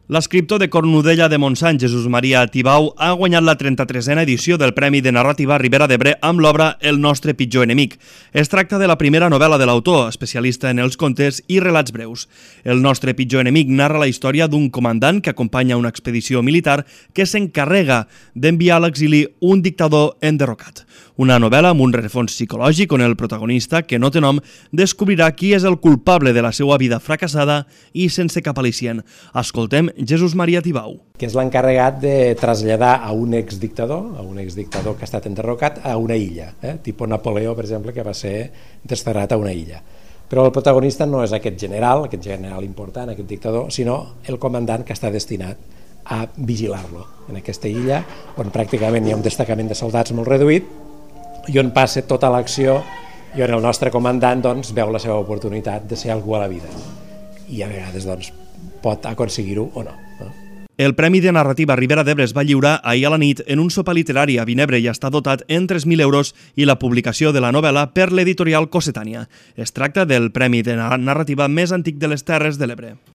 L'escriptor de Cornudella de Montsant, Jesús Maria Tibau, ha guanyat la 33a edició del Premi de Narrativa Ribera d'Ebre amb l'obra El nostre pitjor enemic. Es tracta de la primera novel·la de l'autor, especialista en els contes i relats breus. El nostre pitjor enemic narra la història d'un comandant que acompanya una expedició militar que s'encarrega d'enviar a l'exili un dictador enderrocat. Una novel·la amb un rerefons psicològic on el protagonista, que no té nom, descobrirà qui és el culpable de la seva vida fracassada i sense cap al·licient. Escoltem Jesús Maria Tibau, que és l'encarregat de traslladar a un exdictador que ha estat enderrocat a una illa, tipus Napoleó, per exemple, que va ser desterrat a una illa. Però el protagonista no és aquest general important, aquest dictador, sinó el comandant que està destinat a vigilar-lo en aquesta illa, on pràcticament hi ha un destacament de soldats molt reduït i on passa tota l'acció i on el nostre comandant veu la seva oportunitat de ser algú a la vida i a vegades pot aconseguir-ho o no. El Premi de Narrativa Ribera d'Ebre es va lliurar ahir a la nit en un sopar literari a Vinebre i està dotat en 3.000 euros i la publicació de la novel·la per l'editorial Cossetània. Es tracta del Premi de Narrativa més antic de les Terres de l'Ebre.